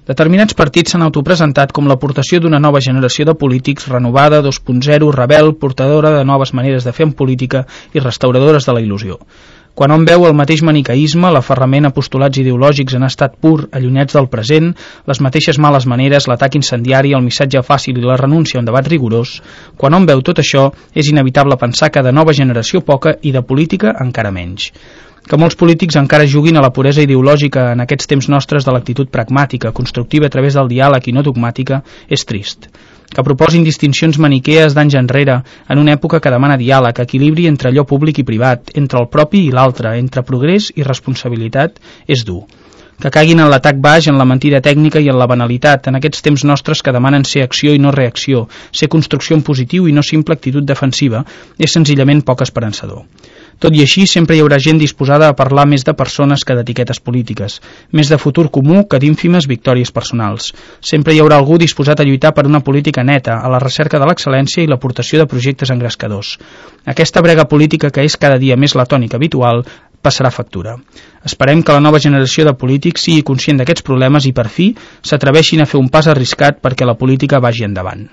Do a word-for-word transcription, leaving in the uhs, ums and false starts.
Determinats partits s'han autopresentat com l'aportació d'una nova generació de polítics renovada, dos punt zero, rebel, portadora de noves maneres de fer en política i restauradores de la il·lusió. Quan hom veu el mateix maniqueisme, l'aferrament a postulats ideològics en estat pur, allunyats del present, les mateixes males maneres, l'atac incendiari, el missatge fàcil i la renúncia a un debat rigorós, quan hom veu tot això, és inevitable pensar que de nova generació poca i de política encara menys. Que molts polítics encara juguin a la puresa ideològica en aquests temps nostres de l'actitud pragmàtica, constructiva a través del diàleg i no dogmàtica, és trist. Que proposin distincions maniquees d'anys enrere, en una època que demana diàleg, equilibri entre allò públic i privat, entre el propi i l'altre, entre progrés i responsabilitat, és dur. Que caiguin en l'atac baix, en la mentida tècnica i en la banalitat, en aquests temps nostres que demanen ser acció i no reacció, ser construcció en positiu i no simple actitud defensiva, és senzillament poc esperançador. Tot i així, sempre hi haurà gent disposada a parlar més de persones que d'etiquetes polítiques, més de futur comú que d'ínfimes victòries personals. Sempre hi haurà algú disposat a lluitar per una política neta, a la recerca de l'excel·lència i l'aportació de projectes engrescadors. Aquesta brega política, que és cada dia més la tònica habitual, passarà factura. Esperem que la nova generació de polítics sigui conscient d'aquests problemes i, per fi, s'atreveixin a fer un pas arriscat perquè la política vagi endavant.